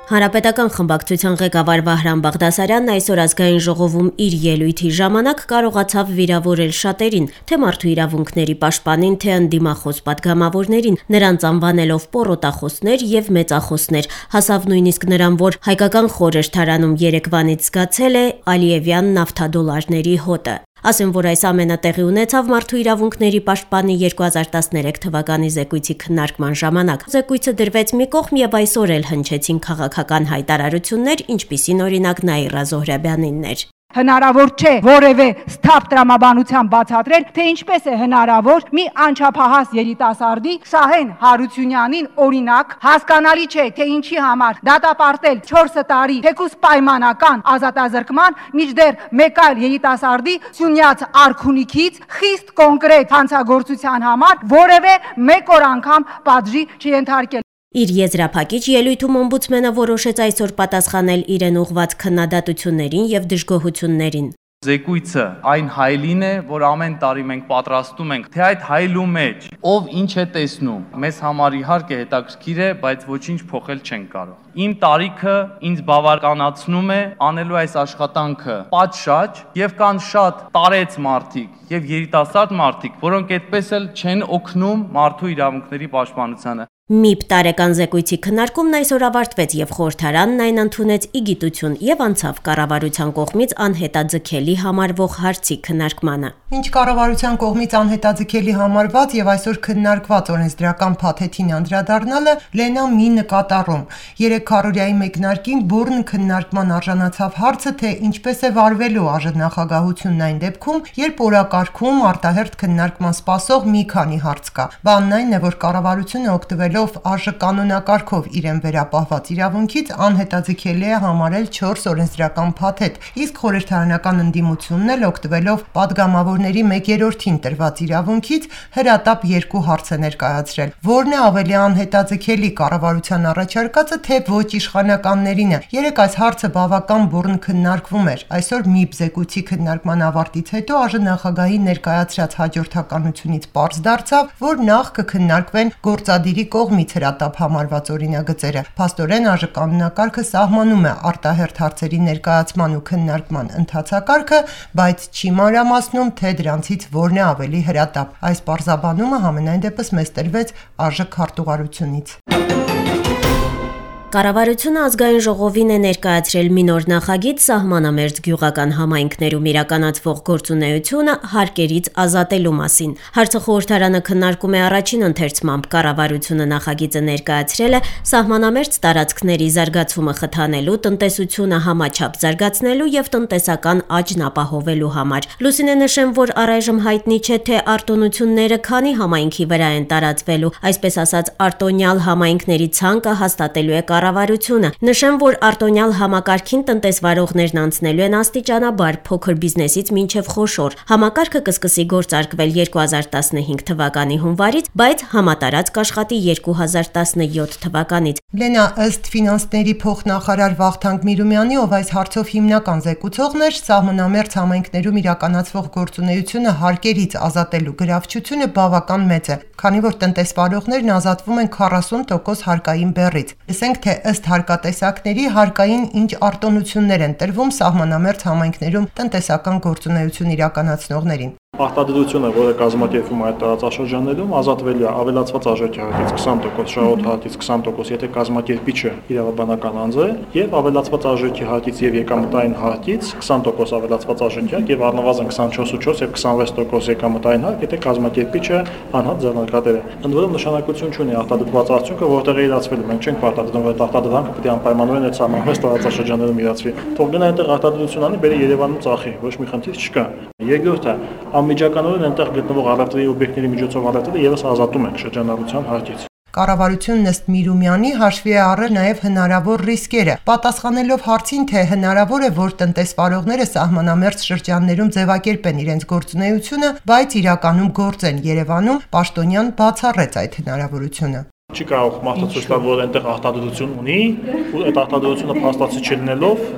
Հանրապետական խմբակցության ղեկավար Վահրամ Բաղդասարյանն այսօր ազգային ժողովում իր ելույթի ժամանակ կարողացավ վիրավորել շատերին, թե մարդու իրավունքների պաշտպանին, թե ընդդիմախոս պատգամավորներին, նրանց անվանելով պոռոտախոսներ եւ մեծախոսներ, հասավ նույնիսկ նրան, որ հայկական խորհրդարանում երեկվանից զգացել է Ալիևյան նավթադոլարների հոտը։ Ասեմ, որ այս ամենը տեղի ունեցավ մարդու իրավունքների պաշտպանի 2013 թվականի զեկույցի քննարկման ժամանակ։ Զեկույցը դրվեց մի կողմ եւ այսօր էլ հնչեցին քաղաքական հայտարարություններ, ինչպիսին օրինակ Նաիրա Զոհրաբյանինն էր։ Հնարավոր չէ որևէ սթափ տրամաբանության բացատրել, թե ինչպես է հնարավոր մի անչափահաս երիտասարդի Շահեն Հարությունյանին օրինակ հասկանալի չէ, թե ինչի համար դատապարտել 4 տարի թեկուզ պայմանական ազատազրկման, մինչդեռ մեկ այլ երիտասարդի Սյունյաց արքունիքից խիստ կոնկրետ հանցագործության համար որևէ մեկ օր անգամ պատժի չենթարկել։ Իր եզրափակիչ ելույթում օմբուդսմենը որոշեց այսօր պատասխանել իրեն ուղղված քննադատություններին եւ դժգոհություններին։ Զեկույցը այն հայլին է, որ ամեն տարի մենք պատրաստում ենք, թե այդ հայլու մեջ ով ինչ է տեսնում։ Մեզ համար իհարկե հետաքրքիր է, բայց ոչինչ փոխել չենք կարող։ Իմ տարիքը ինձ բավականացնում է անելու այս աշխատանքը պատշաճ եւ կան շատ տարեց մարդիկ եւ երիտասարդ մարդիկ, որոնք այդպես էլ չեն օգնում մարդու իրավունքների պաշտպանությանը։ ՄԻՊ տարեկան զեկույցի քննարկումն այսօր ավարտվեց եւ խորհրդարանն այն ընդունեց ի գիտություն եւ անցավ կառավարության կողմից անհետաձգելի համարվող հարցի քննարկմանը։ Ինչ կառավարության կողմից անհետաձգելի համարված եւ այսօր քննարկված օրենսդրական փաթեթին անդրադառնալը Լենա մի նկատառում։ 300-րյայի մեկնարկին բուրն քննարկման արժանացավ հարցը, թե ինչպես է վարվելու ԱԺ այն դեպքում, երբ օրակարգում արտահերթ քննարկման սպասող մի քանի հարց կա։ Բանն այն է, որ կառավարությունը օգտվել ԱԺ կանոնակարգով իրեն վերապահված իրավունքից անհետաձգելի է համարել 4 օրենսդրական փաթեթ, իսկ խորհրդարանական ընդդիմությունն էլ օգտվելով падգամավորների 1/3-ին տրված իրավունքից հրատապ 2 հարց է ներկայացրել։ Որն է ավելի անհետաձգելի, կառավարության առաջարկածը, թե ոչ իշխանականներինը։ Երեկ այս հարցը բավական բուռն քննարկվում էր։ Այսօր ՄԻՊ զեկույցի քննարկման ավարտից հետո ԱԺ նախագահի ներկայացրած հաջորդականությունից պարզ դարձավ, որ նախ կքննարկվեն գործադիրի կողմից հրատապ համարված օրինագծերը։ Փաստորեն ԱԺ կանոնակարգը սահմանում է արտահերթ հարցերի ներկայացման ու քննարկման ընթացակարգը, բայց չի մանրամասնում, թե դրանցից որն է ավելի հրատապ։ Այս պարզաբանումը համենայն դեպս մեզ տրվեց ԱԺ քարտուղարությունից։ Կառավարությունը ազգային ժողովին է ներկայացրել մի նոր նախագիծ սահմանամերձ գյուղական համայնքներում իրականացվող գործունեությունը հարկերից ազատելու մասին։ Հարցը խորհրդարանը քննարկում է առաջին ընթերցմամբ։ Կառավարությունը նախագիծը ներկայացրել է սահմանամերձ տարածքների զարգացումը խթանելու, տնտեսությունը համաչափ զարգացնելու եւ տնտեսական աճն ապահովելու համար։ Լուսինե նշեմ, որ առայժմ հայտնի չէ, թե արտոնությունները քանի համայնքի վրա են տարածվելու, այսպես ասած արտոնյալ համայնքների ցանկը հաստատելու է կառավարությունը։ Նշեմ, որ արտոնյալ համակարգին տնտեսվարողներն անցնելու են աստիճանաբար փոքր բիզնեսից մինչև խոշոր։ Համակարգը կսկսի գործարկվել 2015 թվականի հունվարից, բայց համատարած կաշխատի 2017 թվականից։ Լենա, ըստ ֆինանսների փոխնախարար Վախթանգ Միրումյանի, ով այս հարցով հիմնական զեկուցողն էր, սահմանամերձ համայնքներում իրականացվող գործունեությունը հարկերից ազատելու գրավչությունը բավական մեծ է, քանի որ տնտեսվարողներն ազատվում են 40% հարկային բեռից։ Լսենք, թե ըստ հարկատեսակների հարկային ինչ արտոնություններ են տրվում սահմանամերձ համայնքներում տնտեսական գործունեություն իրականացնողներին։ Արտադրությունը, որը կազմակերպվում է այդ տարածաշրջաններում, ազատվելու է ավելացված արժեքի հարկից 20%, շահութարից 20%, եթե կազմակերպիչը իրավաբանական անձ է, եւ ավելացված արժեքի հարկից եւ եկամտային հարկից 20% ավելացված արժեքի հարկ եւ առնվազն 24.4 եւ 26% եկամտային հարկ, եթե կազմակերպիչը անհատ ձեռնարկատեր է։ Ընդ որում նշանակություն չունի արտադրված արդյունքը որտեղ է իրացվելու։ Մենք չենք պարտադրվում, որ արտադրանքը պետք է անպայմանորեն այդ սահմանված տարածաշրջաններում իրացվի։ Թող գնա այնտեղ արտադրություն անի, բերի Երևանում ծախի, ոչ մի խնդիր չկա։ Երկրորդը, անմիջականորեն այնտեղ գտնվող առևտրի օբյեկտների միջոցով առևտրը եւս ազատում ենք շրջանառության հարկից։ Կառավարությունն ըստ Միրումյանի հաշվի է առել նաև հնարավոր ռիսկերը, պատասխանելով հարցին, թե հնարավոր է, որ տնտեսվարողները սահմանամերձ շրջաններում ձևակերպեն իրենց գործունեությունը, բայց իրականում գործեն Երևանում, Պաշտոնյան բացառեց այդ հնարավորությունը։ Չի կարող մարդը ցույց տալ, որ այնտեղ արտադրություն ունի, ու այդ արտադրությունը փաստացի չլինելով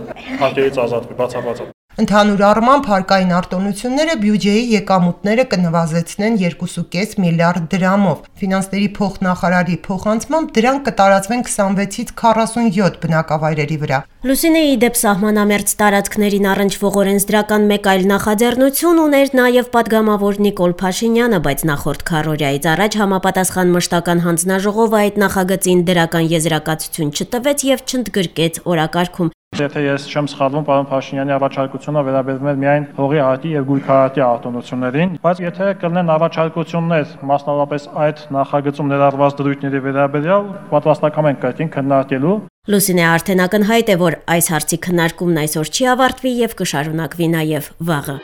հարկերից ազատվի, բացառված է։ Ընդհանուր առմամբ հարկային արտոնությունները բյուջեի եկամուտները կնվազեցնեն 2.5 միլիարդ դրամով։ Ֆինանսների փոխնախարարի փոխանցմամբ դրանք կտարածվեն 26-ից 47 բնակավայրերի վրա։ Լուսինեի դեպ սահմանամերձ տարածքներին առնչվող օրենսդրական մեկ այլ նախաձեռնություն ուներ նաև պատգամավոր Նիկոլ Փաշինյանը, բայց նախորդ քառօրյայից առաջ համապատասխան մշտական հանձնաժողովը այդ նախագծին դրական եզրակացություն չտվեց եւ չընդգրկեց օրակարգում։ Եթե ես չեմ սխալվում, պարոն Փաշինյանի առաջարկությունը վերաբերում էր միայն հողի հայտի եւ գույքահայտի արտոնություններին, բայց եթե կլինեն առաջարկություններ, մասնավորապես այդ նախագծում ներառված դրույթների վերաբերյալ, պատրաստական ենք այդ քննարկելու։ Լուսինե արդեն ակնհայտ է, որ այս հարցի քննարկումն այսօր չի ավարտվի եւ կշարունակվի նաեւ վաղը։